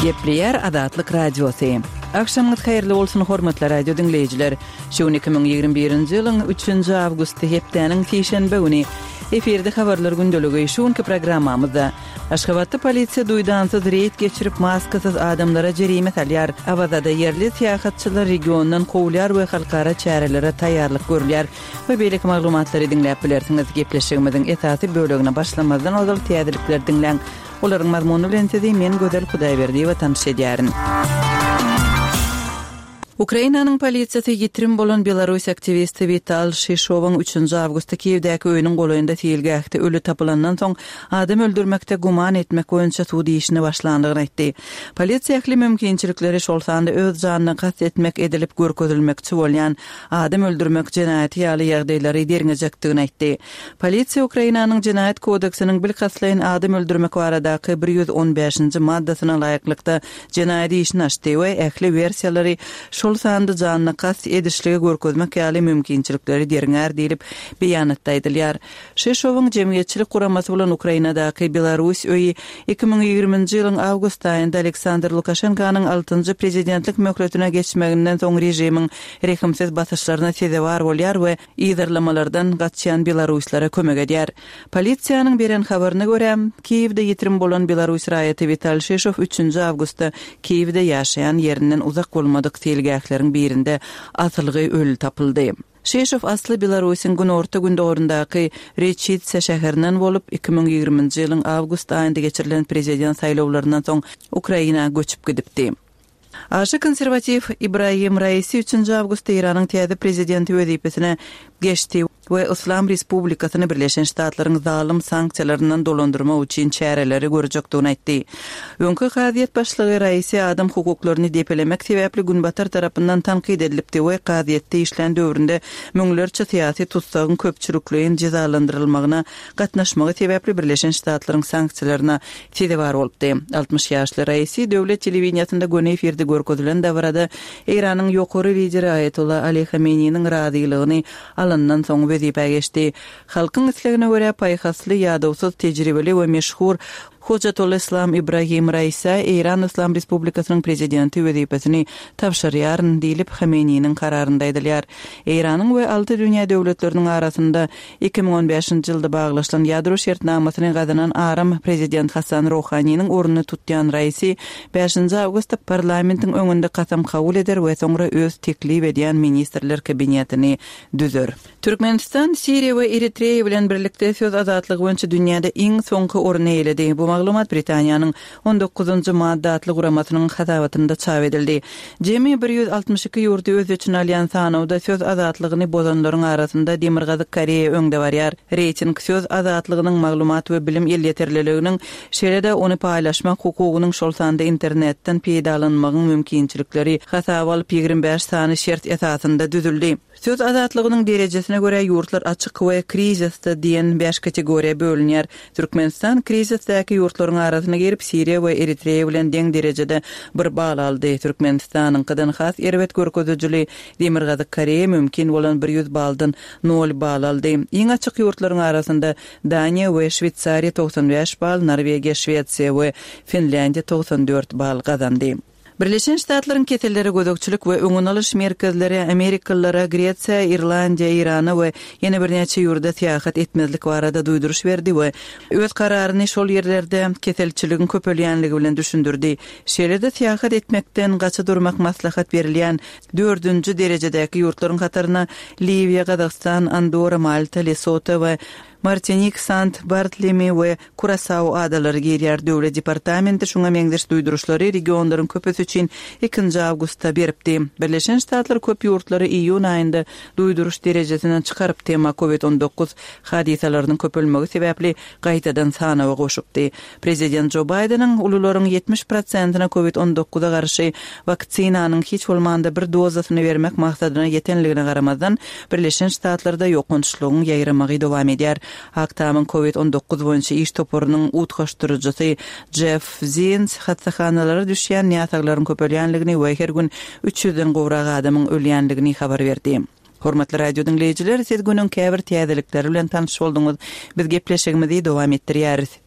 Gepleýär Azatlyk Radiosy. Agşamyňyz haýyrly bolsun hormatly radio diňleýjiler. Şu gün 2021-nji ýylyň 3-nji awgusty hepdäniň sişenbe güni. Efirde habarlar gündeligi şu günki programmamyzda. Aşgabatda polisiýa duýdansyz reýd geçirip, maskasyz adamlara jerime salýar. Awazada ýerli syýahatçylar regiondan kowulýar we halkara çärelere taýýarlyk görülýär we beýleki maglumatlary diňläp bilersiňiz. Gepleşigimiziň esasy bölegine başlamazdan ozal täzelikleri diňläň. Olaryň mazmuny bilen sizi men Gözel Hudaýberdiýewa tanyş edýärin. Ukrainanyň polisiýasy ýitirim bolan belarus aktiwisti Wital Şişowyň üçünji awgustda Kiýewdäki öýüniň golaýynda seýilgähde öli tapylandan soň adam öldürmekde güman etmek boýunça sud işine başlandygyny aýtdy. Polisiýa ähli mümkinçilikleri, şol sanda öz janyna kast etmek edilip görkezilmekçi bolýan adam öldürmek jenaýaty ýaly ýagdaýlary derňejekdigini aýtdy. Polisiýa Ukrainanyň Jenaýat kodeksiniň bilkastlaýyn adam öldürmek baradaky 115-nji maddasyna laýyklykda jenaýat işini açdy we ähli wersiýalary, şol sanda janyna kast edişligi görkezmek ýaly mümkinçilikleri derňär diýlip, beýanatda aýdylýar. Şeşowyň jemgyýetçilik guramasy bolan Ukrainadaky Belarus öýi 2020-nji ýylyň awgust aýynda Aleksandr Lukaşenkanyň altynjy prezidentlik möhletine geçmeginden soň režimiň rehimsiz basyşlaryna sezewar bolýar we yzarlamalardan gaçýan belaruslara kömek edýär. Polisiýanyň beren habaryna görä, Kiýewde ýitirim bolan belarus raýaty Wital Şişow üçünji awgustda Kiýewde ýaşaýan ýerinden uzak bolmadyk seýilgähleriň birinde asylgy öli tapyldy. Şişow asly Belarusyň günorta-gündogaryndaky Reçitsa şäherinden bolup, 2020-nji ýylyň awgust aýynda geçirilen prezident saýlawlaryndan soň Ukraina göçüp gidipdi. Aşa konserwatiw Ibrahim Raisi üçünji awgustda Eýranyň täze prezidenti wezipesine geçdi we Yslam Respublikasyny Birleşen Ştatlaryň zalym sanksiýalaryndan dolandyrmak üçin çäreleri görjekdigini aýtdy. Öňki kazyýet başlygy Raisi adam hukuklaryny depelemek sebäpli Günbatar tarapyndan tankyt edilipdi we kazyýetde işlän döwründe müňlerçe syýasy tussagyň köpçülikleýin jezalandyrylmagyna gatnaşmagy sebäpli Birleşen Ştatlaryň sanksiýalaryna sezewar bolupdy. 60 ýaşly Raisi döwlet telewideniýesinde göni efirde görkezilen dabarada Eýranyň ýokary lideri Aýatolla Ali Hameneýiniň razylygyny alandan soň wezipä geçdi. Halkyň islegine görä paýhasly, ýadawsyz, tejribeli we meşhur Hojatoleslam Ibrahim Raisä Eýran Yslam Respublikasynyň prezidenti wezipesini tabşyrýaryn diýlip, Hameneýiniň kararynda aýdylýar. Eýranyň we alty dünýä döwletleriniň arasynda 2015-nji ýylda baglaşylan ýadro şertnamasyny gazanan aram prezident Hasan Rohaniniň ornuny tutýan Raisi bäşinji awgustda parlamentiň öňünde kasam kabul eder we soňra öz teklip edýän ministrler kabinetini düzer. Türkmenistan Siriýa we Eritreýa bilen birlikde söz azatlygy boýunça dünýäde iň soňky orny eýeledi. Bu maglumat Britaniýanyň On dokuzynjy madda atly guramasynyň hasabatynda çap edildi. Jemi 162 ýurdy öz içine alýan sanawda söz azatlygyny bozanlaryň arasynda Demirgazyk Koreýa öňde barýar. Reýting söz azatlygynyň, maglumat we bilim elýeterliliginiň, şeýle-de ony paýlaşmak hukugynyň, şol sanda internetden peýdalanmagyň mümkinçilikleri hasaba alyp 25 sany şert esasynda düzüldi. Söz azatlygynyň derejesine görä ýurtlar açyk we krizisde diýen bäş kategoriýa bölünýär. Türkmenistan krizisdäki ýurtlaryň arasyna girip, Siriýa we Eritreýa bilen deň derejede bir bal aldy. Türkmenistanyňkydan has erbet görkezijili Demirgazyk Koreýa mümkin bolan 100 baldan nol bal aldy. Iň açyk ýurtlaryň arasynda Daniýa we Şweýsariýa 95 bal, Norwegiýa, Şwesiýa we Finlýandiýa 94 bal gazandy. Birleşen Ştatlaryň Kesellere gözegçilik we öňüni alyş merkezleri amerikalylara Gresiýa, Irlandiýa, Eýrana we ýene birnäçe ýurda syýahat etmezlik barada duýduryş berdi we öz kararyny şol ýerlerde keselçiligiň köpelýänligi bilen düşündirdi. Şeýle-de syýahat etmekden gaça durmak maslahat berilýän dördünji derejedäki ýurtlaryň hataryna Liwiýa, Gazagystan, Andorra, Malta, Lesoto we Martinik, Sant Bartlemi we Kurasao adalary girýär. Döwlet departamenti şuňa meňzeş duýduryşlary regionlaryň köpüsi üçin ikinji awgustda beripdi. Birleşen Ştatlar köp ýurtlary iýun aýynda duýduryş derejesinden çykarypdy, emma Covid 19 hadysalarynyň köpelmegi sebäpli gaýtadan sanawa goşupdy. Prezident Jo Baýdeniň ulularyň 70 prosentine Covid 19-a garşy waksinanyň hiç bolmanda bir dozasyny bermek maksadyna ýetenligine garamazdan, Birleşen Ştatlarda ýokançlygyň ýaýramagy dowam edýär. Ak Tamyň Covid 19 boýunça iş toparynyň utgaşdyryjysy Jeff Zients hassahanalara düşýän näsaglaryň köpelýänligini we her gün üç ýüzden gowrak adamyň ölýänligini habar berdi. Hormatly radio diňleýjiler, siz günüň käbir täzelikleri bilen tanyş bolduňyz. Biz gepleşigimizi dowam etdirýäris.